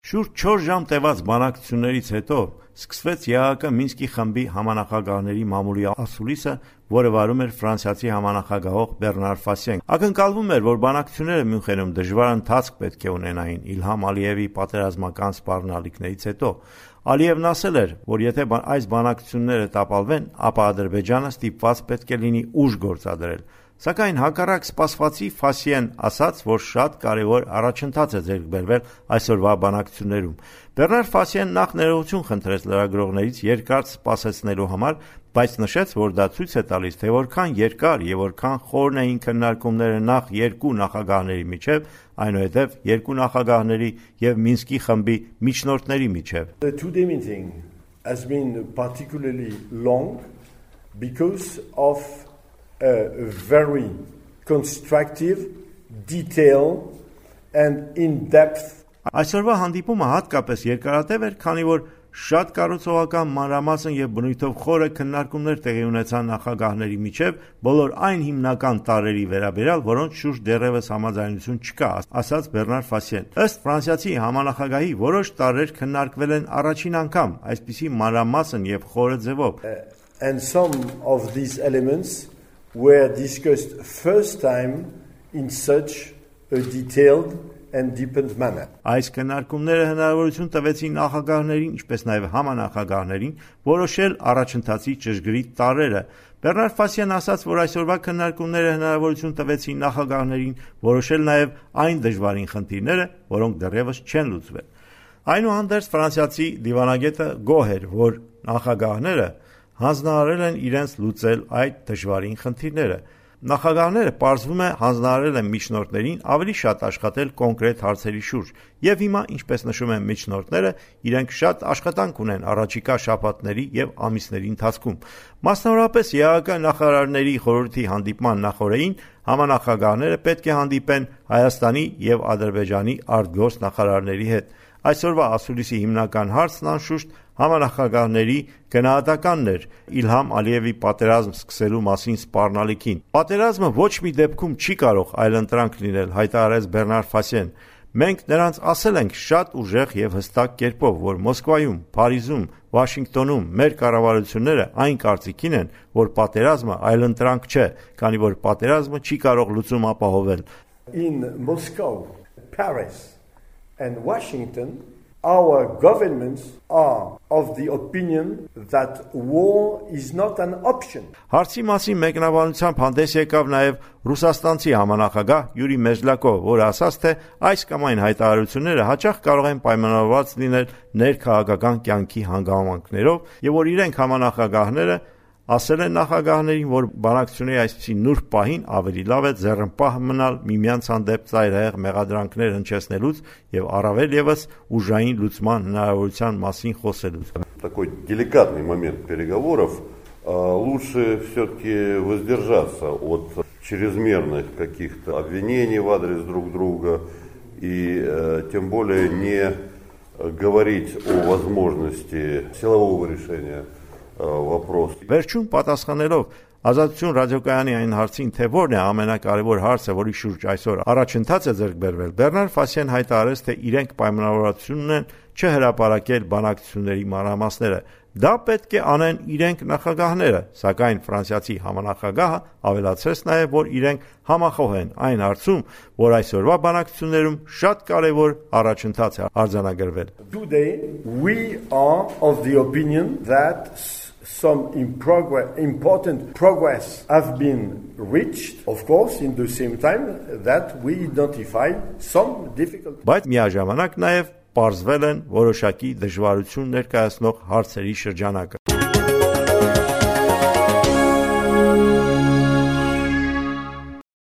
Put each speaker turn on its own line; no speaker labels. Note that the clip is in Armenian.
Շուրջ 4 ժամ տևած բանակցություններից հետո սկսվեց ԵԱՀԿ Մինսկի խմբի համանախագահների մամուլի ասուլիսը, որը վարում էր ֆրանսիացի համանախագահող Բեռնար Ֆասիեն։ Ակնկալվում էր, որ բանակցությունները Մյունխենում դժվար ընթացք պետք է ունենային Իլհամ Ալիևի պատերազմական սպառնալիքներից հետո։ Ալիևն ասել էր, որ եթե այս բանակցությունները տապալվեն, ապա Ադրբեջանը ստիպված պետք է լինի ուժ գործադրել։ Սակայն հակառակ սպասվածի Ֆասիեն ասաց, որ շատ կարևոր առաջընթաց է ձեռք բերվել այսօրվա բանակցություններում։ Բեռնար Ֆասիեն նախ ներողություն խնդրեց լրագրողներից երկար սպասեցնելու համար, բայց նշեց, որ դա ցույց է տալիս, թե որքան երկար եւ որքան խորն էին քննարկումները նախ երկու նախագահների միջև, այնուհետև երկու նախագահների եւ Մինսկի խմբի միջնորդների միջև։
The two-day meeting has been particularly long because of a very constructive, detailed and in-depth.
Այսօրվա հանդիպումը հատկապես երկարատև էր, քանի որ շատ կառուցողական մանրամասն եւ բնույթով խորը քննարկումներ տեղի ունեցան նախագահների միջև բոլոր այն հիմնական տարրերի վերաբերյալ, որոնց շուրջ դեռևս համաձայնություն չկա, ասաց Բեռնար Ֆասիեն։ Ըստ ֆրանսիացի համանախագահի որոշ տարրեր քննարկվել են առաջին անգամ, այսպիսի մանրամասն եւ խորը ձևով։
And some of these elements were discussed first time in such a detailed and deepened manner.
Այս քննարկումները հնարավորություն տվեցին նախագահներին, ինչպես նաև համանախագահներին, որոշել առաջընթացի ճշգրիտ տարրերը։ Բեռնար Ֆասիեն ասաց, որ այսօրվա քննարկումները հնարավորություն տվեցին նախագահներին որոշել նաև այն դժվարին խնդիրները, որոնք դեռևս չեն լուծվել։ Այնուհանդերձ ֆրանսիացի դիվանագետը գոհ էր, որ նախագահները հանձնարարել են իրենց լուծել այդ դժվարին խնդիրները։ Նախագահները պարզվում է հանձնարարել են միջնորդներին ավելի շատ աշխատել կոնկրետ հարցերի շուրջ, եւ հիմա, ինչպես նշում են միջնորդները, իրենք շատ աշխատանք ունեն առաջիկա շաբաթների եւ ամիսների ընթացքում։ Մասնավորապես ԵԱՀԿ նախարարների խորհրդի հանդիպման նախօրեին համանախագահները պետք է հանդիպեն Հայաստանի եւ Ադրբեջանի արտգործ նախարարների հետ։ Այսօրվա ասուլիսի հիմնական հարցն անշուշտ համանախագահների գնահատականն էր Իլհամ Ալիևի պատերազմ սկսելու մասին սպառնալիքին։ Պատերազմը ոչ մի դեպքում չի կարող այլընտրանք լինել, հայտարարեց Բեռնար Ֆասիեն։ Մենք նրանց ասել ենք շատ ուժեղ եւ հստակ կերպով, որ Մոսկվայում, Փարիզում, Վաշինգտոնում մեր կառավարությունները այն կարծիքին են, որ պատերազմը այլընտրանք չէ, քանի որ պատերազմը չի կարող լուծում ապահովել։
In Moscow, Paris and Washington, our governments are of the opinion that war is not an option.
Հարցի մասին մեկնաբանությամբ հանդես եկավ նաև ռուսաստանցի համանախագահ Յուրի Մեզլակով, որը ասաց, թե այս կամ այն հայտարարությունները հաճախ կարող են պայմանավորված լինել ներքաղաքական կյանքի հանգամանքներով, եւ որ իրենք համանախագահները ասել են նախագահներին, որ բանակցությունների այսպիսի նուրբ պահին ավելի лав է ձեռնպահ մնալ միմյանց հանդեպ ծայրահեղ մեղադրանքներ հնչեցնելուց եւ առավել եւս ուժային լուծման հնարավորության մասին խոսելուց։
Такой деликатный момент переговоров, лучше все-таки воздержаться от чрезмерных каких-то обвинений в адрес друг друга и тем более не говорить о возможности силового решения вопрос.
Վերջում պատասխանելով Ազատություն ռադիոկայանի այն հարցին, թե որն է ամենակարևոր հարցը, որի շուրջ այսօր առաջընթաց է ձեռք բերվել, Բեռնար Ֆասիեն հայտարարեց, թե իրենք պայմանավորվածություն ունեն չհրապարակել բանակցությունների մանրամասները։ Դա պետք է անեն իրենք նախագահները, սակայն ֆրանսիացի համանախագահը ավելացրեց նաև, որ իրենք համախոհ են այն հարցում, որ այսօրվա բանակցություններում շատ կարևոր առաջընթաց է արձանագրվել։
Today we are of the opinion that some important progress have been reached, of course, in the same time that we identify some difficulties.
Բայց միաժամանակ նաև պարզվել են որոշակի դժվարություն ներկայացնող հարցերի շրջանակը։